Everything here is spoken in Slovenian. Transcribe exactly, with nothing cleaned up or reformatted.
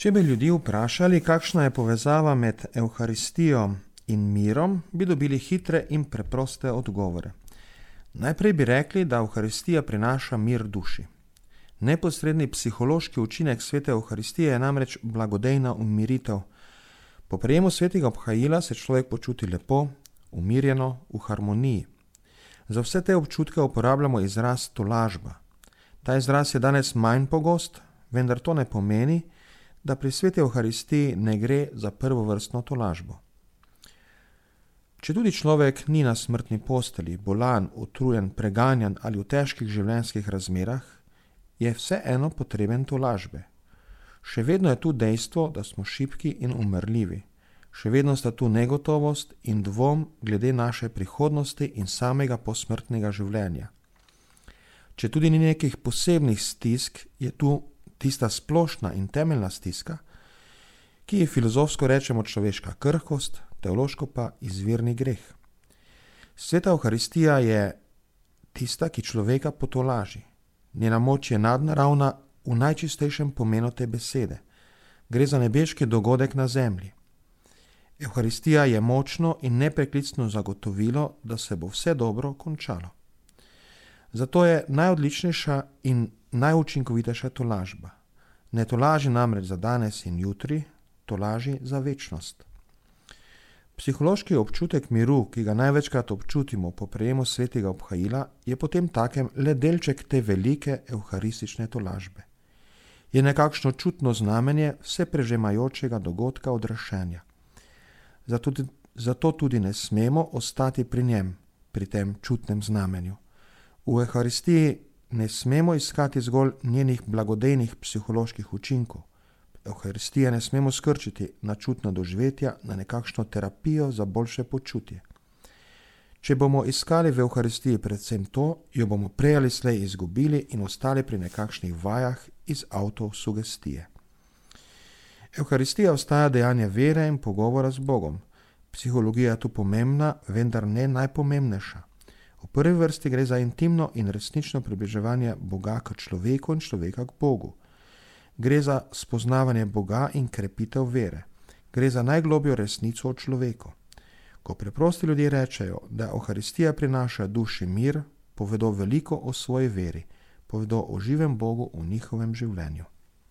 Če bi ljudi vprašali, kakšna je povezava med Evharistijo in mirom, bi dobili hitre in preproste odgovore. Najprej bi rekli, da Evharistija prinaša mir duši. Neposredni psihološki učinek svete Evharistije je namreč blagodejna umiritev. Po prejemu svetega obhajila se človek počuti lepo, umirjeno, v harmoniji. Za vse te občutke uporabljamo izraz tolažba. Ta izraz je danes manj pogost, vendar to ne pomeni, da pri sveti Evharistiji ne gre za prvovrstno tolažbo. Če tudi človek ni na smrtni postelji, bolan, utrujen, preganjan ali v težkih življenjskih razmerah, je vseeno potreben tolažbe. Še vedno je tu dejstvo, da smo šibki in umrljivi. Še vedno sta tu negotovost in dvom glede naše prihodnosti in samega posmrtnega življenja. Če tudi ni nekih posebnih stisk, je tu tista splošna in temeljna stiska, ki je filozofsko rečemo človeška krhkost, teološko pa izvirni greh. Sveta Evharistija je tista, ki človeka potolaži. Njena moč je nadnaravna v najčistejšem pomenu te besede. Gre za nebeški dogodek na zemlji. Evharistija je močno in nepreklicno zagotovilo, da se bo vse dobro končalo. Zato je najodličnejša in najučinkovitejša tolažba. Ne tolaži namreč za danes in jutri, tolaži za večnost. Psihološki občutek miru, ki ga največkrat občutimo po prejemu svetega obhajila, je potem takem le delček te velike evharistične tolažbe. Je nekakšno čutno znamenje vse prežemajočega dogodka odrešenja. Zato, zato tudi ne smemo ostati pri njem, pri tem čutnem znamenju. V Evharistiji ne smemo iskati zgolj njenih blagodejnih psiholoških učinkov. Evharistije ne smemo skrčiti na čutna doživetja, na nekakšno terapijo za boljše počutje. Če bomo iskali v Evharistiji predvsem to, jo bomo prej ali slej izgubili in ostali pri nekakšnih vajah iz avtosugestije. Evharistija ostaja dejanje vere in pogovora z Bogom. Psihologija je tu pomembna, vendar ne najpomembnejša. V prvi vrsti gre za intimno in resnično približevanje Boga k človeku in človeka k Bogu. Gre za spoznavanje Boga in krepitev vere. Gre za najglobljo resnico o človeku. Ko preprosti ljudje rečejo, da Evharistija prinaša duši mir, povedo veliko o svoji veri, povedo o živem Bogu v njihovem življenju.